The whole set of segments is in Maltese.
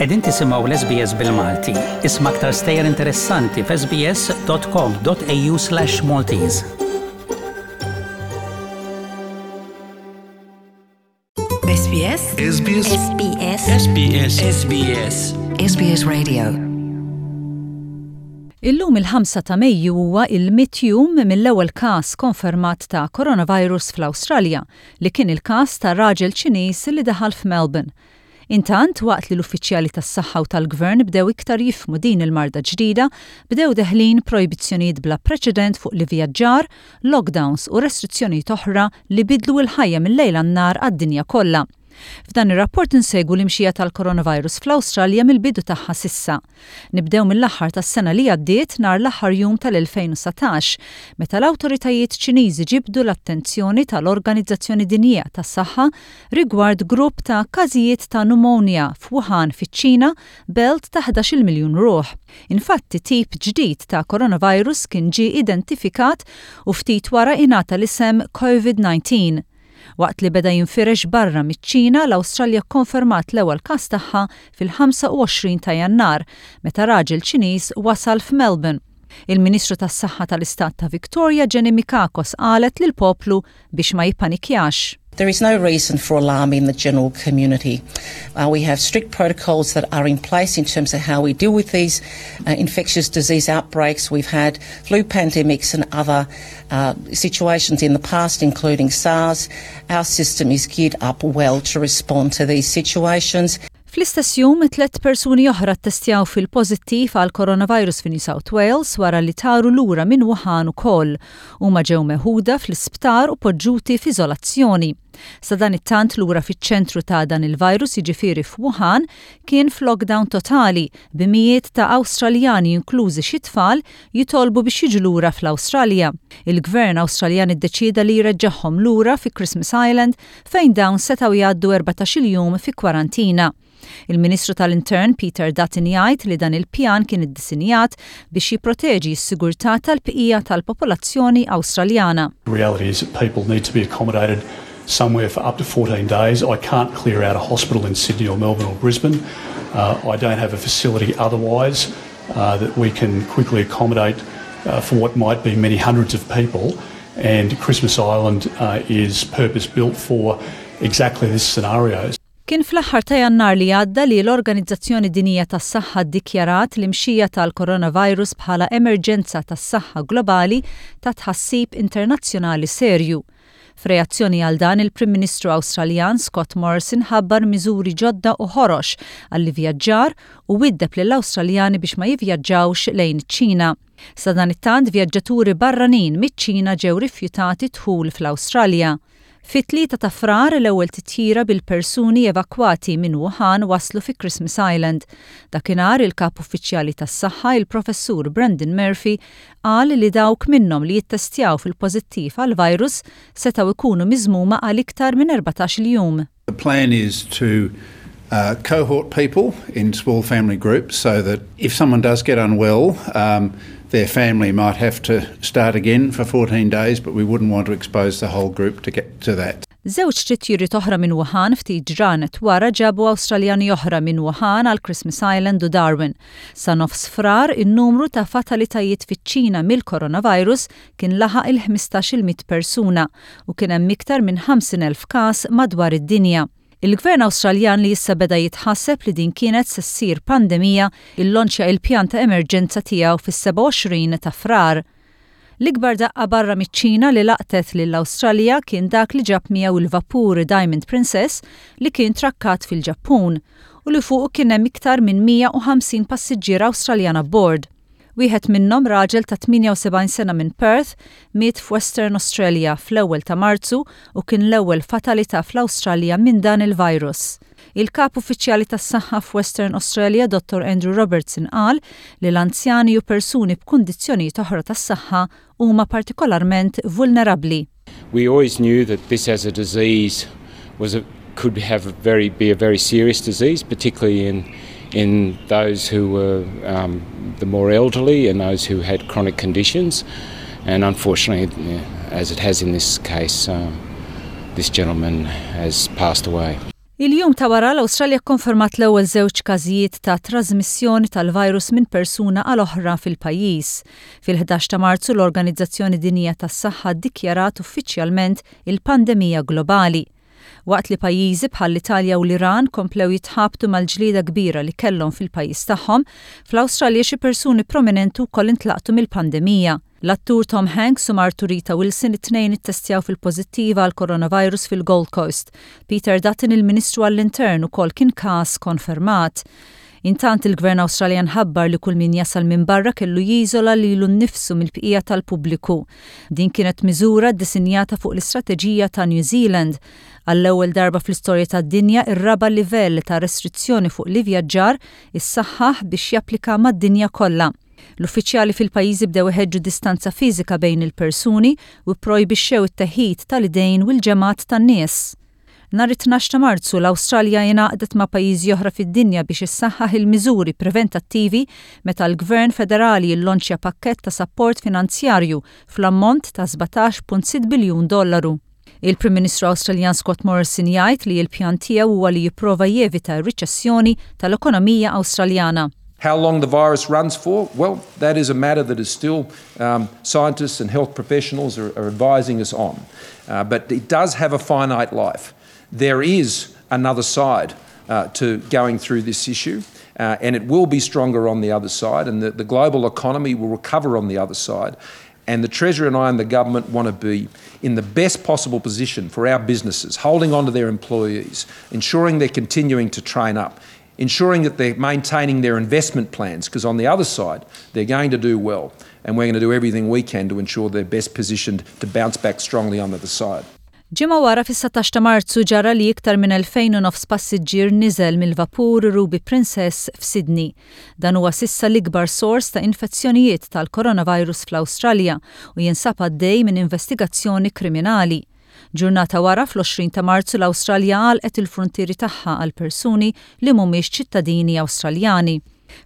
Qegħdin tisimgħu l-SBS bil-Malti. Isma' aktar stejjer interessanti f'sbs.com.au/Maltese. SBS SBS SBS SBS SBS SBS Radio Illum il-5 ta' Mejju huwa il-mitt jum mill-ewwel każ konfermat ta' coronavirus fl-Awstralja, li kien il-każ ta' raġel Ċiniż li daħal f'Melbourne. Intant, waqt li l-uffiċjali tas-saħħa u tal-gvern bdew iktar jifhmu din il-marda ġdida, bdew deħlin projbizzjonijiet bla preċedent fuq l-ivvjaġġar, lockdowns u restrizzjonijiet oħra li bidlu l-ħajja mil-lejl għan-nhar għad-dinja kollha. F'dan ir-rapport insegwu l-imxija tal-coronavirus fl-Awstralja mill-bidu tagħha s'issa. Nibdew mill-aħħar tas-sena li għaddiet nhar l-aħħar jum tal-2019, meta l-awtoritajiet Ċiniżi ġibdu l-attenzjoni tal-Organizzazzjoni Dinjija tas-Saħħa rigward grupp ta' każijiet ta' pneumonia f'Wuhan fiċ-Ċina, belt ta' ħdax-il miljun ruħ. Infatti tip ġdid ta' coronavirus kien ġie identifikat u ftit wara ingħata l-isem Covid-19. Waqt li beda jinfirex barra miċ-Ċina, l-Awstralja kkonfermat l-ewwel każ tagħha fil-25 ta' Jannar, meta raġel Ċiniż wasal f'Melbourne. Il-Ministru tas-Saħħa tal-Istat ta' Victoria Jenny Mikakos qalet lill-poplu biex ma jippanikjax. There is no reason for alarm in the general community. Uh, we have strict protocols that are in place in terms of how we deal with these uh, infectious disease outbreaks. We've had flu pandemics and other uh, situations in the past, including SARS. Our system is geared up well to respond to these situations. Fl-istess jum, tlett persuni oħra ttestjaw fil-pożittiv għal coronavirus fi New South Wales wara li taru lura minn Wuhan ukoll. Huma ġew meħuda fl-isptar u poġġuti f'iżolazzjoni. Sadanittant lura fiċ-ċentru ta' dan il-virus jiġifieri f'Wuhan kien f'lockdown totali bi mijiet ta' Awstraljani inklużi xi tfal jitolbu biex jiġu lura fl-Awstralja. Il-Gvern Awstraljan iddeċieda li jreġġagħhom lura fi Christmas Island fejn dawn setgħu jgħaddu 14-il jum fi kwarantina. Il-Ministru tal-Intern Peter Dutton jgħid li dan il-pjan kien iddisinjat biex jipproteġi s-sigurtà tal-bqija tal-popolazzjoni Awstraljana. The reality is that people need to be accommodated somewhere for up to 14 days. I can't clear out a hospital in Sydney or Melbourne or Brisbane. Uh, I don't have a facility otherwise uh, that we can quickly accommodate uh, for what might be many hundreds of people. And Christmas Island uh, is purpose built for exactly this scenario. Kien fl-aħħar ta' Jannar li għadda li l-Organizzazzjoni Dinjija tas-Saħħa ddikjarat l-imxija tal-coronavirus bħala emerġenza tas-saħħa globali ta' tħassib internazzjonali serju. F'reazzjoni għal dan, il-Prim Ministru Awstraljan Scott Morrison ħabbar miżuri ġodda u ħorox għall-ivvjaġġar u widdeb lill-Awstraljani biex ma jivvjaġġawx lejn iċ-Ċina. Sadanittant, vjaġġaturi barranin miċ-Ċina ġew rifjutati dħul fl-Awstralja. Fit-3 ta' Frar, l-ewwel titjira bil-persuni evakwati minn Wuhan waslu fi Christmas Island. Dakinhar, il-kap uffiċjali tas-saħħa, il-Professur Brendan Murphy, qal li dawk minnhom li jittestjaw fil-pożittiv għall-virus setgħu jkunu miżmuma għal iktar minn 14-il jum. The plan is to uh, cohort people in small family groups so that if someone does get unwell, um, their family might have to start again for 14 days, but we wouldn't want to expose the whole group to get to that. Żewġ titjiriet oħra minn Wuhan ftit ġranet wara ġabu Awstraljani oħra minn Wuhan għal Christmas Island u Darwin. Sa nofs Frar, in-numru ta' fatalitajiet fiċ-Ċina mill-coronavirus kien laħaq il-15-il mitt persuna u kien hemm iktar minn 50,000 każ madwar id-dinja. Il-Gvern Awstraljan li issa beda jitħasseb li din kienet se ssir pandemija illonċja il-pjan ta' emerġenza tiegħu fis-27 ta' Frar. L-ikbar daqqa barra miċ-Ċina li laqtet lill-Awstralja kien dak li ġab miegħu il-vapur Diamond Princess li kien trakkat fil-Ġappun u li fuqu kien hemm iktar minn 150 passiġġier Awstraljan abbord. Wieħed minnhom, raġel ta' 78 sena minn Perth, miet f'Western Australia fl-ewwel ta' Marzu u kien l-ewwel fatalità fl-Awstralja minn dan il-virus. Il-Kap Uffiċjali tas-Saħħa f'Western Australia Dottor Andrew Robertson qal li l-anzjani u persuni b'kundizzjonijiet oħra tas-saħħa huma partikolarment vulnerabbli. We always knew that this as a disease was a, could have a very, be a very serious disease, particularly in, in those who were um, the more elderly and those who had chronic conditions. And unfortunately, as it has in this case, um, this gentleman has passed away. Il-jum ta' wara l-Awstralja kkonfermat l-ewwel żewġ każijiet ta' trażmissjoni tal-virus minn persuna għal oħra fil-pajjiż. Fil-11 ta' Marzu l-Organizzazzjoni Dinjija tas-Saħħa ddikjarat uffiċjalment il-pandemija globali. Waqt li pajjiżi bħall-Italja u l-Iran komplew jitħabtu mal-ġlieda kbira li kellhom fil-pajjiż tagħhom, fl-Awstralja xi persuni prominenti wkoll intlaqtu mill-pandemija. L-attur Tom Hanks u martu Rita Wilson it-tnejn ittestjaw fil-pożittiv għall-coronavirus fil-Gold Coast. Peter Dutton il-Ministru għall-Intern ukoll kien każ konfermat. Intant il-Gvern Awstraljan ħabbar li kull min jasal minn barra kellu jiżola lilu nnifsu mill-bqija tal-pubbliku. Din kienet miżura ddisinjata fuq l-istrateġija ta' New Zealand. Għall-ewwel darba fl-istorja tad-dinja ir-raba' livell ta' restrizzjoni fuq l-ivvjaġġar issaħħaħ biex japplika mad-dinja kollha. L-uffiċjali fil-pajjiżi bdew iħeġġu distanza fiżika bejn il-persuni u pprojbixxew it-teħid tal-idejn u l-ġemgħat tan-nies. Nhar it-tnax ta' Marzu, l-Awstralja ingħaqdet ma' pajjiżi oħra fid-dinja biex issaħħaħ il-miżuri preventattivi meta l-Gvern Federali llonċja pakkett ta' sapport finanzjarju fl-ammont ta' 17.6 biljun dollaru. Il-Prim Ministru Awstraljan Scott Morrison jgħid li l-pjan tiegħu huwa li jipprova jevita r-riċessjoni tal-ekonomija Awstraljana. How long the virus runs for? Well, that is a matter that is still um, scientists and health professionals are, are advising us on. Uh, but it does have a finite life. There is another side uh, to going through this issue. Uh, and it will be stronger on the other side, and the, the global economy will recover on the other side. And the Treasurer and I and the government want to be in the best possible position for our businesses, holding on to their employees, ensuring they're continuing to train up, ensuring that they're maintaining their investment plans, because on the other side, they're going to do well. And we're going to do everything we can to ensure they're best positioned to bounce back strongly on the other side. Ġimgħa wara fis-17 ta' Marzu ġara li iktar minn 2,000 u nofs passiġġier niżel mill-vapur Ruby Princess f'Sydney. Dan huwa s'issa l-ikbar sors ta' infezzjonijiet tal-coronavirus fl-Awstralja u jinsab għaddej minn investigazzjoni kriminali. Ġurnata wara fl-20 ta' Marzu l-Awstralja għalqet il-fruntieri tagħha għal persuni li mhumiex ċittadini Awstraljani.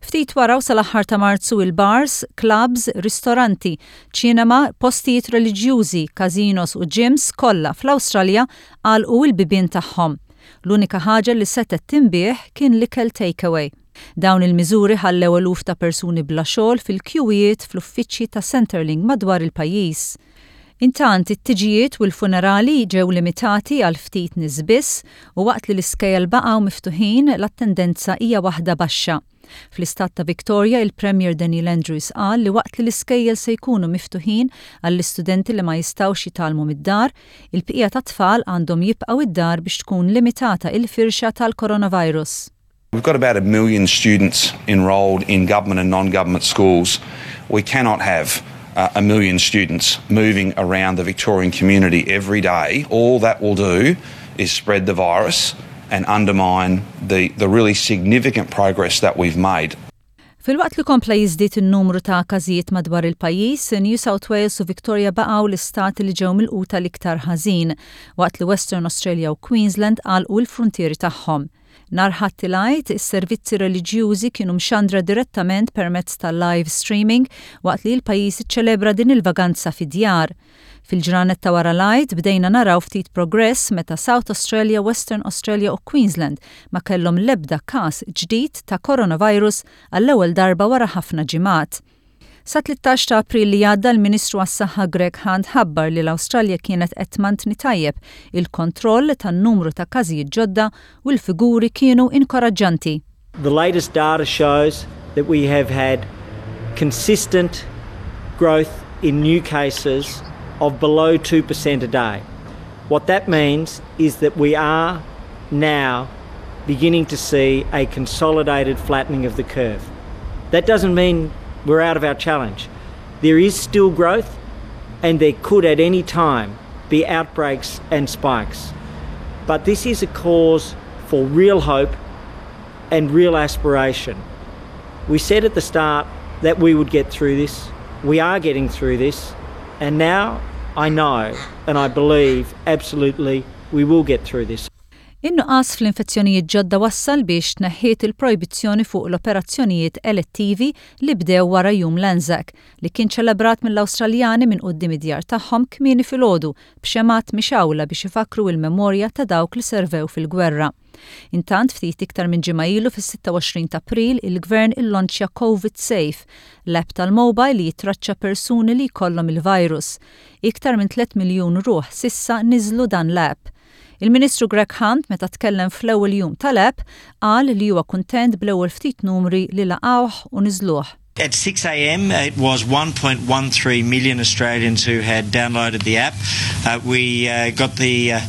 Ftit wara u sal-aħħar ta' Marzu il-bars, clubs, ristoranti, ċinema, postijiet reliġjużi, casinos u gyms kollha fl-Awstralja għalqu l-bibien tagħhom. L-unika ħaġa li setgħet tinbiegħ kien l-ikel takeaway. Dawn il-miżuri ħallew eluf ta' persuni bla xogħol fil-kjuwijiet fl-uffiċċji ta' Centrelink madwar il-pajjiż. Intant, it-tiġijiet u l-funerali ġew limitati għal ftit nies biss u waqt li l-iskejjel baqgħu miftuħin, l-attendenza hija waħda baxxa. Fl-istat ta' Victoria, il-Premier Daniel Andrews qal li waqt li l-iskejjel se jkunu miftuħin għall-istudenti li ma jistgħux jitgħallmu mid-dar, il-bqija tat-tfal għandhom jibqgħu id-dar biex tkun limitata il-firxa tal-coronavirus. We've got about a million students enrolled in government and non-government schools. We cannot have uh, a million students moving around the Victorian community every day. All that will do is spread the virus and undermine the, the really significant progress that we've made. Filwaqt li kompla jiżdied in-numru ta' każijiet madwar il-pajjiż, New South Wales u Victoria baqgħu l-istati li ġew milquta l-iktar ħażin, waqt li Western Australia u Queensland għalqu l-fruntieri tagħhom. Nhar Ħadd il-Għid, is-servizzi reliġjużi kienu mxandra direttament permezz ta' live streaming waqt li l-pajjiż iċċelebra din il-vaganza fid-djar. Fil-ġranet ta' wara l-Għid bdejna naraw ftit progress meta South Australia, Western Australia u Queensland ma kellhom l-ebda każ ġdid ta' coronavirus għall-ewwel darba wara ħafna ġimgħat. Sat-13 ta' April li għadda l-Ministru għas-Saħħa Greg Hunt ħabbar li l-Awstralja kienet qed tmantni tajjeb il-kontroll tan-numru ta' każijiet ġodda u l-figuri kienu inkoraġġanti. The latest data shows that we have had consistent growth in new cases of below 2% a day. What that means is that we are now beginning to see a consolidated flattening of the curve. That doesn't mean we're out of our challenge. There is still growth and there could at any time be outbreaks and spikes. But this is a cause for real hope and real aspiration. We said at the start that we would get through this. We are getting through this. And now I know and I believe absolutely we will get through this. In-nuqqas fl-infezzjonijiet ġodda wassal biex tneħħiet il-projbizzjoni fuq l-operazzjonijiet elettivi li bdew wara Jum l-Anzac, li kien ċelebrat mill-Awstraljani minn quddiem id-djar tagħhom kmieni filgħodu b'xemgħat mixgħula biex ifakkru il-memorja ta' dawk li servew fil-gwerra. Intant, ftit iktar minn ġimgħa ilu fis-26 ta' April, il-Gvern illonċja Covid Safe, l-app tal-mobile li jitraċċa persuni li jkollhom il-virus. Iktar minn 3 miljun ruħ s'issa niżlu dan l-app. Il-Ministru Greg Hunt meta tkellem fl-ewwel jum tal-app qal li huwa kuntent bl-ewwel ftit numri li laqgħuh u niżluh. At 6 a.m. it was 1.13 million Australians who had downloaded the app. Uh, we uh, got the uh,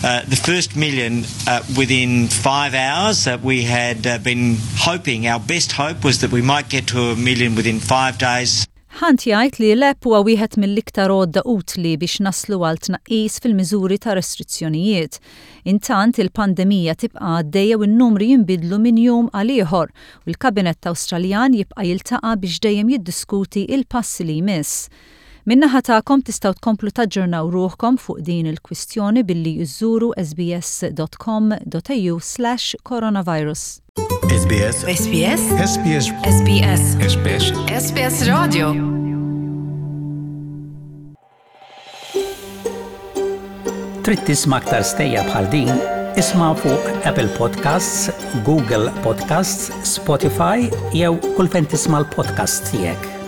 uh, the first million uh, within 5 hours. Uh, we had uh, been hoping, our best hope was that we might get to a million within 5 days. Hunt jgħid li l-app huwa wieħed mill-iktar għodda utli biex naslu għal tnaqqis fil-miżuri ta' restrizzjonijiet. Intant il-pandemija tibqa' għaddejja u n-numri jinbidlu minn jum għal ieħor u l-Kabinett Awstraljan jibqa' jiltaqa' biex dejjem jiddiskuti il-passi li jmiss. Min-naħa tagħkom tistgħu tkomplu taġġornaw ruħkom fuq din il-kwistjoni billi iżżuru sbs.com.au/coronavirus. SBS SBS SBS SBS SBS SBS Radio. Trid tisma' aktar stejjer bħal din? Isma' fuq Apple Podcasts, Google Podcasts, Spotify jew kull fejn tisma' l-podcasts tiegħek.